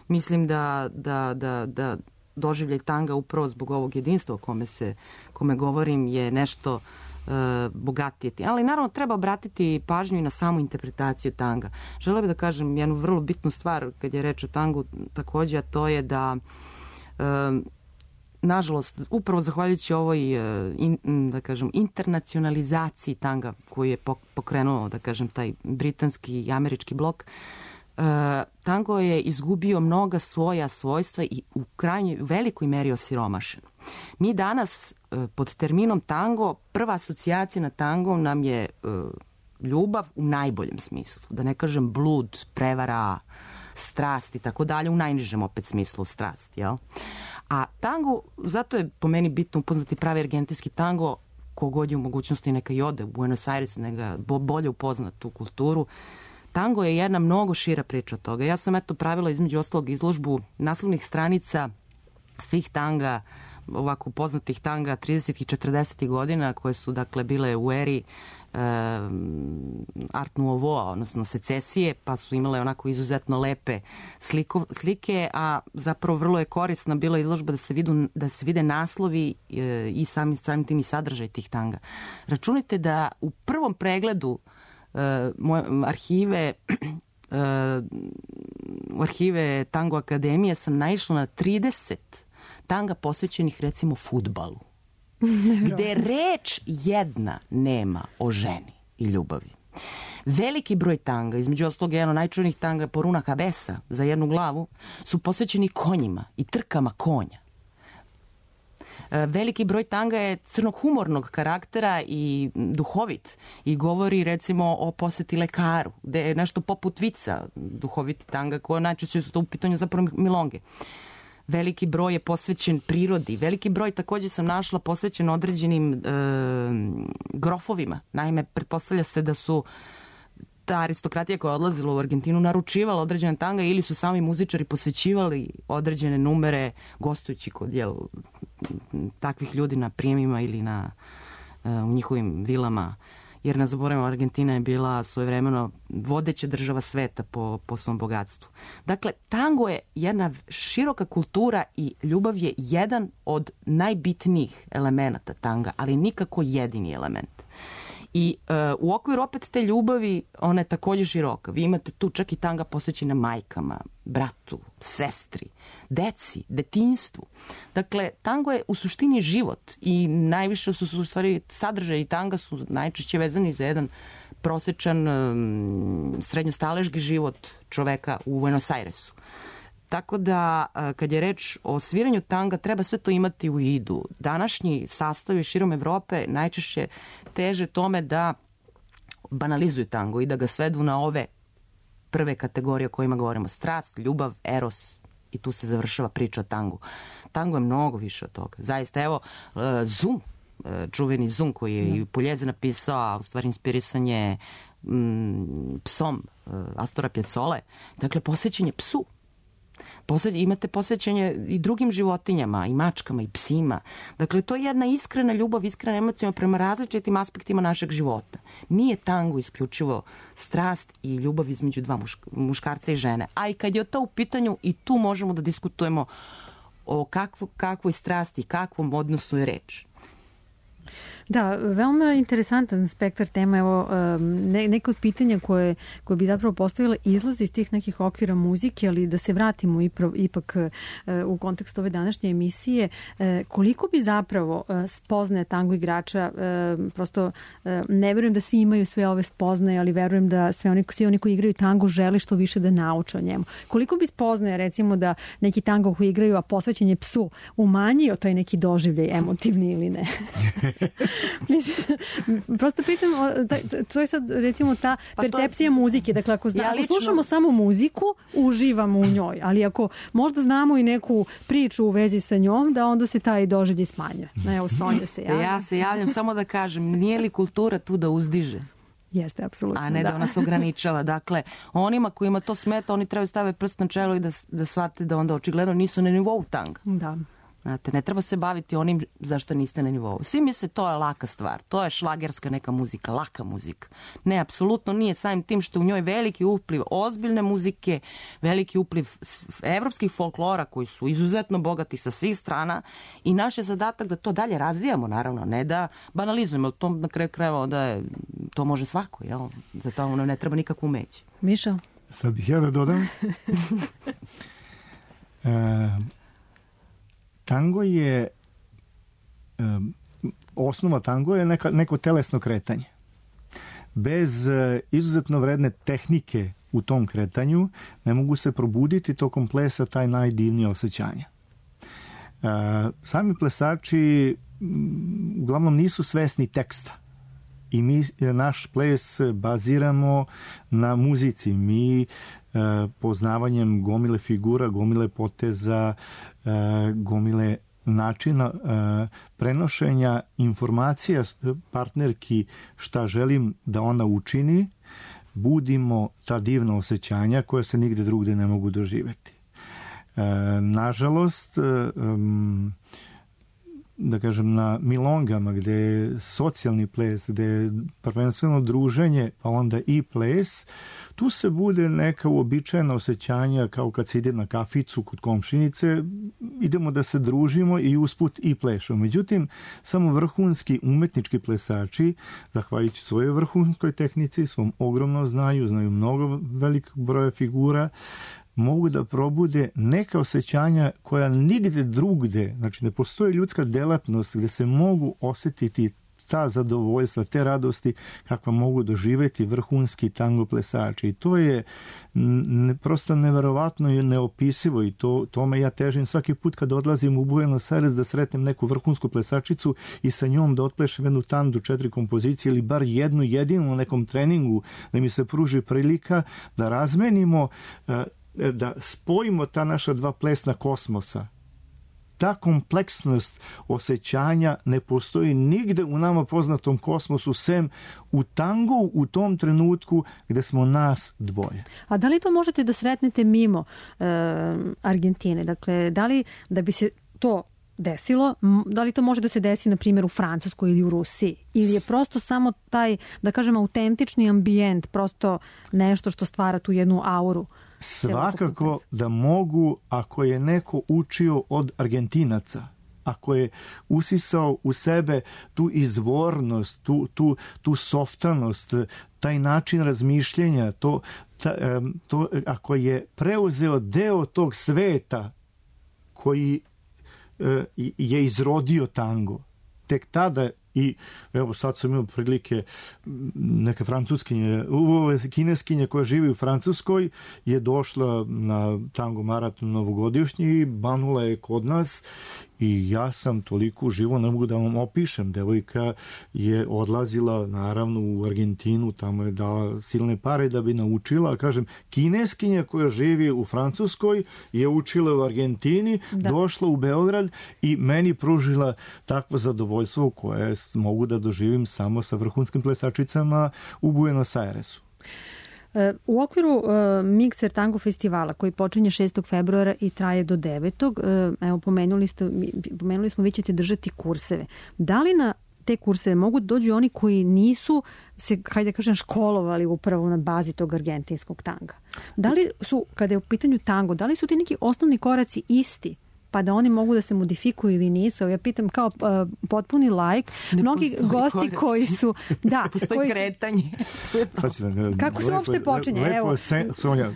mislim da, da, da, da doživljaj tanga upravo zbog ovog jedinstva o kome, se, kome govorim je nešto uh, bogatije. Ali naravno treba obratiti pažnju i na samu interpretaciju tanga. Želela bih da kažem jednu vrlo bitnu stvar kad je reč o tangu takođe, a to je da uh, nažalost, upravo zahvaljujući ovoj in, da kažem, internacionalizaciji tanga koju je pokrenuo, da kažem, taj britanski i američki blok, uh, tango je izgubio mnoga svoja svojstva i u krajnjoj velikoj meri osiromašen. Mi danas uh, pod terminom tango, prva asocijacija na tango nam je uh, ljubav u najboljem smislu. Da ne kažem blud, prevara, strast i tako dalje, u najnižem opet smislu strast, jel? A tango, zato je po meni bitno upoznati pravi argentinski tango, kogod je u mogućnosti neka i ode u Buenos Aires, neka bolje upozna tu kulturu. Tango je jedna mnogo šira priča od toga. Ja sam eto pravila između ostalog izložbu naslovnih stranica svih tanga, ovako poznatih tanga tridesetih i četrdesetih godina, koje su dakle bile u eri e, Art Nouveau, odnosno secesije, pa su imale onako izuzetno lepe sliko, slike, a zapravo vrlo je korisna bila izložba da se, vidu, da se vide naslovi e, i sami samim tim i sadržaj tih tanga. Računajte da u prvom pregledu e, moje arhive e, u arhive Tango Akademije sam naišla na trideset tanga posvećenih recimo fudbalu, gde reč jedna nema o ženi i ljubavi. Veliki broj tanga, između ostalog jedan od najčuvenijih tanga Poruna Cabeza za jednu glavu, su posvećeni konjima i trkama konja. Veliki broj tanga je crnog humornog karaktera i duhovit i govori recimo o poseti lekaru, gde je nešto poput vica duhoviti tanga, koje najčešće su to u pitanju zapravo milonge. Veliki broj je posvećen prirodi. Veliki broj također sam našla posvećen određenim e, grofovima. Naime, pretpostavlja se da su ta aristokratija koja je odlazila u Argentinu naručivala određene tanga ili su sami muzičari posvećivali određene numere gostujući kod jel, takvih ljudi na prijemima ili na, e, u njihovim vilama. Jer ne zaboravimo, Argentina je bila svojevremeno vodeća država sveta po, po svom bogatstvu. Dakle, tango je jedna široka kultura i ljubav je jedan od najbitnijih elemenata tanga, ali nikako jedini element. I uh, u okviru opet te ljubavi, ona je također široka. Vi imate tu čak i tanga posvećena majkama, bratu, sestri, deci, detinjstvu. Dakle, tango je u suštini život i najviše su u stvari sadržaji tanga su najčešće vezani za jedan prosečan um, srednjostaležki život čoveka u Buenos Airesu. Tako da, kad je reč o sviranju tanga, treba sve to imati u vidu. Današnji sastavi širom Evrope najčešće teže tome da banalizuju tango i da ga svedu na ove prve kategorije o kojima govorimo. Strast, ljubav, eros i tu se završava priča o tangu. Tango je mnogo više od toga. Zaista, evo, Zum, čuveni Zum koji je i Pugliese napisao, a u stvari inspirisan je mm, psom Astora Piazzole. Dakle, posvećen je psu. Posle, imate posvećenje i drugim životinjama, i mačkama, i psima. Dakle, to je jedna iskrena ljubav, iskrena emocija prema različitim aspektima našeg života. Nije tango isključivo strast i ljubav između dva mušk- muškarca i žene. A i kad je to u pitanju, i tu možemo da diskutujemo o kakvo, kakvoj strasti, kakvom odnosu je reč. Da, veoma interesantan spektar tema. Evo, ne, neko od pitanja koje, koje bi zapravo postavila izlazi iz tih nekih okvira muzike, ali da se vratimo ipro, ipak u kontekstu ove današnje emisije. Koliko bi zapravo spoznaje tango igrača, prosto ne verujem da svi imaju sve ove spoznaje, ali verujem da sve oni, svi oni koji igraju tango žele što više da nauče o njemu. Koliko bi spoznaje, recimo, da neki tango koji igraju, a posvećen je psu, umanjio taj neki doživljaj emotivni ili ne? Mislim, prosto pitam, to je sad recimo ta pa percepcija to... muzike, dakle ako, zna, ja lično... ako slušamo samo muziku, uživamo u njoj, ali ako možda znamo i neku priču u vezi sa njom, da onda se taj doživljaj smanjuje. No, evo, Sonja se javlja. Ja se javljam samo da kažem, nije li kultura tu da uzdiže? Jeste, apsolutno. A ne da, da nas ograničava. Dakle, onima kojima to smeta, oni trebaju staviti prst na čelo i da, da shvate da onda očigledno nisu na nivou tanga. Da. Znate, ne treba se baviti onim zašto niste na nivou. Svi misle to je laka stvar, to je šlagerska neka muzika, laka muzika. Ne, apsolutno nije, samim tim što u njoj veliki upliv ozbiljne muzike, veliki upliv evropskih folklora koji su izuzetno bogati sa svih strana i naš je zadatak da to dalje razvijamo, naravno, ne da banalizujemo, to na kraju krajeva onda je, to može svako, jel? Za to ne treba nikakvu umeći. Miša? Sad bih ja da dodam. e, Tango je, um, osnova tango je neka, neko telesno kretanje. Bez uh, izuzetno vredne tehnike u tom kretanju ne mogu se probuditi tokom plesa taj najdivnije osjećanja. Uh, sami plesači um, uglavnom nisu svesni teksta. I mi naš ples baziramo na muzici. Mi e, poznavanjem gomile figura, gomile poteza, e, gomile načina prenošenja informacija partnerki šta želim da ona učini, budimo ta divna osjećanja koja se nigde drugde ne mogu doživjeti. Nažalost, da kažem, na milongama gde je socijalni ples, gde je prvenstveno druženje, pa onda i ples, tu se bude neka uobičajena osjećanja kao kad se ide na kaficu kod komšinice, idemo da se družimo i usput i plešemo. Međutim, samo vrhunski umetnički plesači, zahvaljujući svojoj vrhunskoj tehnici, svom ogromnom znanju, znaju mnogo velikog broja figura, mogu da probude neka osjećanja koja nigde drugde, znači ne postoji ljudska delatnost gde se mogu osjetiti ta zadovoljstva, te radosti kakva mogu doživjeti vrhunski tango plesači. I to je ne, prosto neverovatno i neopisivo i to, tome ja težim svaki put kad odlazim u Buenos Aires da sretnem neku vrhunsku plesačicu i sa njom da otplešem jednu tandu, četiri kompozicije ili bar jednu jedinu na nekom treningu, da mi se pruži prilika da razmenimo, da spojimo ta naša dva plesna kosmosa. Ta kompleksnost osjećanja ne postoji nigde u nama poznatom kosmosu, sem u tangu u tom trenutku gde smo nas dvoje. A da li to možete da sretnete mimo e, Argentine? Dakle, da li da bi se to desilo, da li to može da se desi na primjer u Francuskoj ili u Rusiji? Ili je prosto samo taj, da kažem, autentični ambijent, prosto nešto što stvara tu jednu auru? Svakako da mogu, ako je neko učio od Argentinaca, ako je usisao u sebe tu izvornost, tu, tu, tu softanost, taj način razmišljenja, to, ta, to, ako je preuzeo deo tog sveta koji je izrodio tango, tek tada. I evo sad sam imao prilike, neka francuskinje, kineskinja koja živi u Francuskoj je došla na tango maraton novogodišnji i banula je kod nas i ja sam toliko uživo, ne mogu da vam opišem. Devojka je odlazila naravno u Argentinu, tamo je dala silne pare da bi naučila, kažem, kineskinja koja živi u Francuskoj je učila u Argentini, da. Došla u Beograd i meni pružila takvo zadovoljstvo koje mogu da doživim samo sa vrhunskim plesačicama u Buenos Airesu. U okviru uh, Mikser Tango festivala koji počinje šestog februara i traje do devetog Uh, evo pomenuli, ste, pomenuli smo vi ćete držati kurseve. Da li na te kurseve mogu dođu oni koji nisu se, hajde da kažem, školovali upravo na bazi tog argentinskog tanga? Da li su, kada je u pitanju tango, da li su ti neki osnovni koraci isti? Pa da oni mogu da se modifikuju ili nisu. Ja pitam kao uh, potpuni lajk. Ne mnogi gosti korac. Koji su... Da, postoji koji kretanje. Da, kako se uopšte počinje? Lepo, evo. Se, Sonja, uh,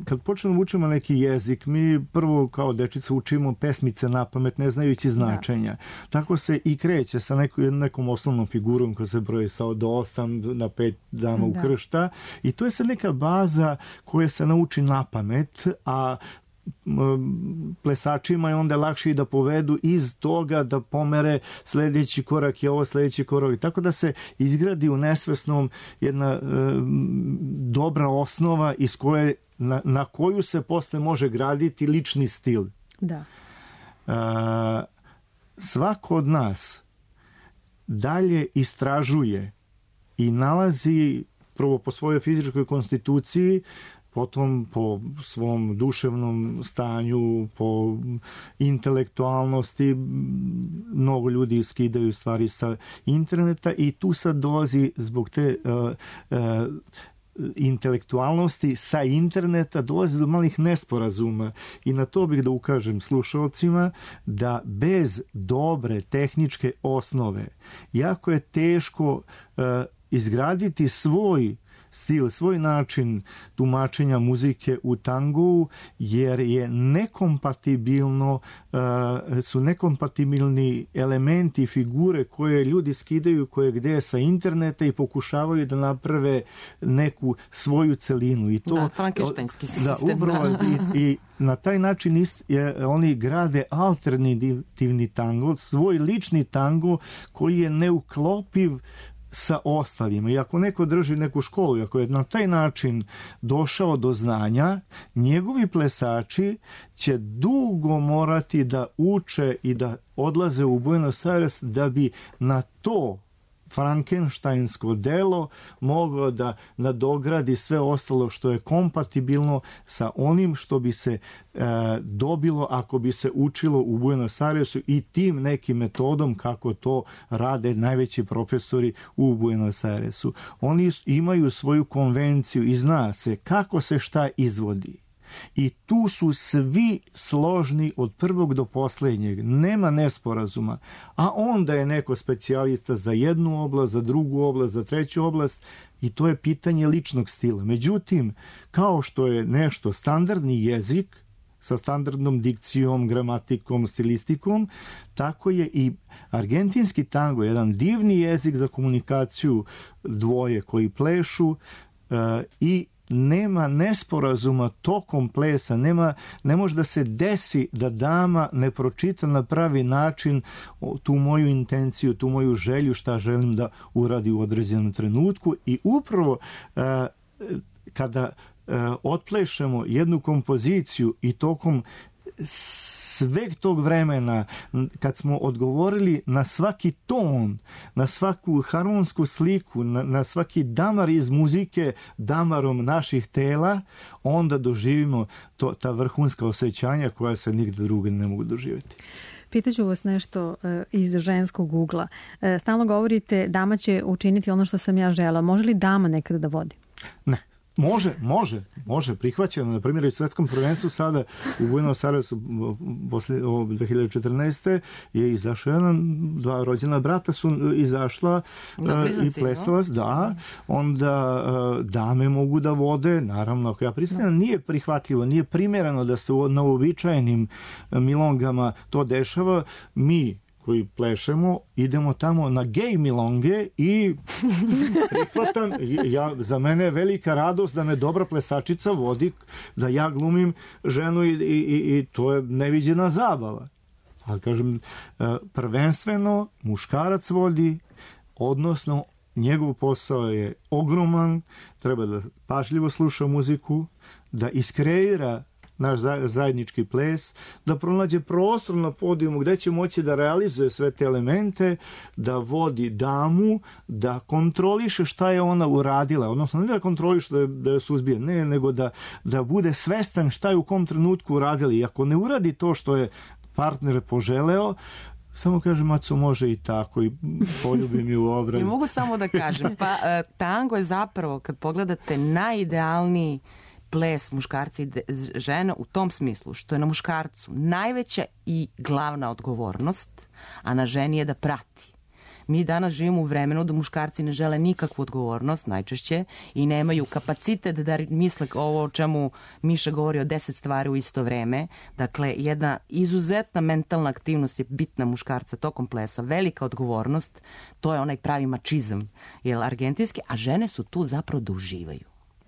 kad počnemo učimo neki jezik, mi prvo kao dečica učimo pesmice na pamet, ne znajući značenja. Da. Tako se i kreće sa neko, nekom osnovnom figurom koja se broji sa od osam na pet dama da. U kršta. I to je sad neka baza koja se nauči na pamet, a plesačima je onda lakše i da povedu iz toga da pomere sljedeći korak je ovo, sljedeći korak. Tako da se izgradi u nesvesnom jedna e, dobra osnova iz koje, na, na koju se posle može graditi lični stil. Da. E, svako od nas dalje istražuje i nalazi prvo po svojoj fizičkoj konstituciji, potom po svom duševnom stanju, po intelektualnosti. Mnogo ljudi skidaju stvari sa interneta i tu sad dolazi zbog te uh, uh, intelektualnosti sa interneta dolazi do malih nesporazuma i na to bih da ukažem slušalcima da bez dobre tehničke osnove jako je teško uh, izgraditi svoj stil, svoj način tumačenja muzike u tangu, jer je nekompatibilno, uh, su nekompatibilni elementi i figure koje ljudi skidaju koje gde sa interneta i pokušavaju da naprave neku svoju celinu. I to, da, frankenštajnski sistem. Da, upravo i, i na taj način ist, je, oni grade alternativni tango, svoj lični tango koji je neuklopiv sa ostalima. I ako neko drži neku školu, ako je na taj način došao do znanja, njegovi plesači će dugo morati da uče i da odlaze u Buenos Aires da bi na to frankenštajnsko delo moglo da nadogradi sve ostalo što je kompatibilno sa onim što bi se e, dobilo ako bi se učilo u Buenos Airesu i tim nekim metodom kako to rade najveći profesori u Buenos Airesu. Oni imaju svoju konvenciju i zna se kako se šta izvodi. I tu su svi složni od prvog do posljednjeg. Nema nesporazuma. A onda je neko specijalista za jednu oblast, za drugu oblast, za treću oblast i to je pitanje ličnog stila. Međutim, kao što je nešto standardni jezik sa standardnom dikcijom, gramatikom, stilistikom, tako je i argentinski tango, jedan divni jezik za komunikaciju dvoje koji plešu uh, i nema nesporazuma tokom plesa, nema, ne može da se desi da dama ne pročita na pravi način tu moju intenciju, tu moju želju šta želim da uradi u određenom trenutku i upravo uh, kada uh, otplešemo jednu kompoziciju i tokom sveg tog vremena kad smo odgovorili na svaki ton, na svaku harmonsku sliku, na, na svaki damar iz muzike damarom naših tela, onda doživimo to, ta vrhunska osjećanja koja se nigde druge ne mogu doživjeti. Pitaću vas nešto e, iz ženskog ugla. E, stalno govorite dama će učiniti ono što sam ja žela. Može li dama nekada da vodi? Ne. Može, može, može, prihvaćeno. Na primjer, u svetskom prvenstvu sada u Buenos Airesu posle dve hiljade četrnaeste. je izašao jedan, dva rođena brata su izašla uh, i plesala, no? Da, onda uh, dame mogu da vode, naravno, ako ja pristanem, nije prihvatljivo, nije primjereno da se na uobičajenim milongama to dešava. Mi koji plešemo, idemo tamo na gej milonge i prihvatam, ja, za mene je velika radost da me dobra plesačica vodi, da ja glumim ženu i, i, i to je neviđena zabava. Ali kažem, prvenstveno muškarac vodi, odnosno njegov posao je ogroman, treba da pažljivo sluša muziku, da iskreira naš zajednički ples, da pronađe prostor na podijumu gde će moći da realizuje sve te elemente, da vodi damu, da kontroliše šta je ona uradila, odnosno ne da kontroliše da je, da je suzbije, ne, nego da, da bude svestan šta je u kom trenutku uradila. I ako ne uradi to što je partner poželeo, samo kažem, Maco, može i tako i poljubim ju u obraz. I mogu samo da kažem, pa tango je zapravo, kad pogledate, najidealniji ples muškarci i žena u tom smislu što je na muškarcu najveća i glavna odgovornost, a na ženi je da prati. Mi danas živimo u vremenu da muškarci ne žele nikakvu odgovornost najčešće i nemaju kapacitet da misle ovo o čemu Miša govori o deset stvari u isto vreme. Dakle, jedna izuzetna mentalna aktivnost je bitna muškarca tokom plesa, velika odgovornost, to je onaj pravi mačizam, jel, argentinski, a žene su tu zapravo da uživaju.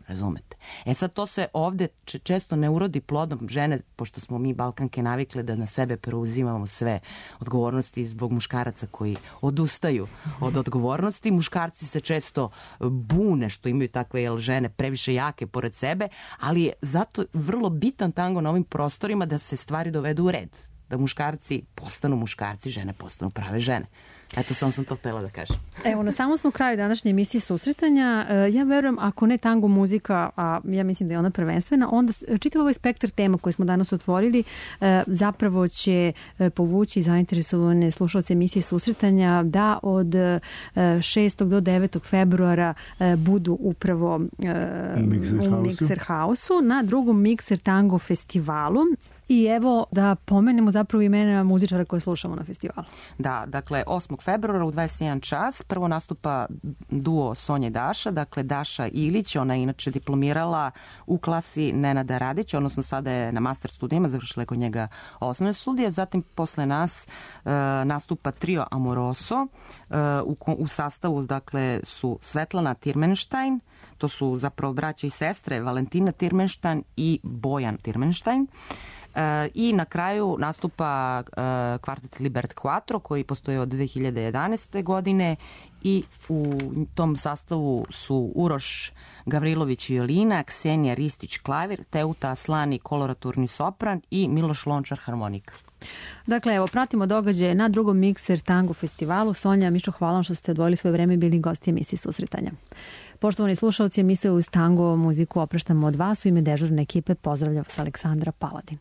Razumete? E sad to se ovde često ne urodi plodom. Žene, pošto smo mi Balkanke navikle da na sebe preuzimamo sve odgovornosti zbog muškaraca koji odustaju od odgovornosti. Muškarci se često bune što imaju takve, jel, žene previše jake pored sebe, ali je zato vrlo bitan tango na ovim prostorima da se stvari dovedu u red. Da muškarci postanu muškarci, žene postanu prave žene. Eto, samo sam to htjela da kažem. Evo, na samom smo kraju današnje emisije Susretanja. Ja verujem, ako ne tango muzika, a ja mislim da je ona prvenstvena, onda čitav ovaj spektar tema koji smo danas otvorili zapravo će povući zainteresovane slušalce emisije Susretanja da od šestog do devetog februara budu upravo u Mikser Hausu na drugom Mikser Tango festivalu. I evo da pomenemo zapravo imena muzičara koje slušamo na festivalu. Da, dakle, osmog februara u dvadeset jedan čas prvo nastupa duo Sonja i Daša, dakle Daša Ilić, ona je inače diplomirala u klasi Nenada Radića, odnosno sada je na master studijima, završila je kod njega osnovne studije, zatim posle nas e, nastupa trio Amoroso, e, u, u sastavu, dakle, su Svetlana Tirmenštajn, to su zapravo braća i sestre Valentina Tirmenštajn i Bojan Tirmenštajn. I na kraju nastupa kvartet Libert Quattro koji postoji od dve hiljade jedanaeste. godine i u tom sastavu su Uroš Gavrilović violina, Ksenija Ristić klavir, Teuta Aslani koloraturni sopran i Miloš Lončar harmonika. Dakle, evo, pratimo događaje na drugom Mikser Tango festivalu. Sonja, Mišo, hvala vam što ste odvojili svoje vreme i bili gosti emisije Susretanja. Poštovani slušalci, emisiju uz tango muziku opraštamo od vas. U ime dežurne ekipe pozdravlja vas Aleksandra Paladin.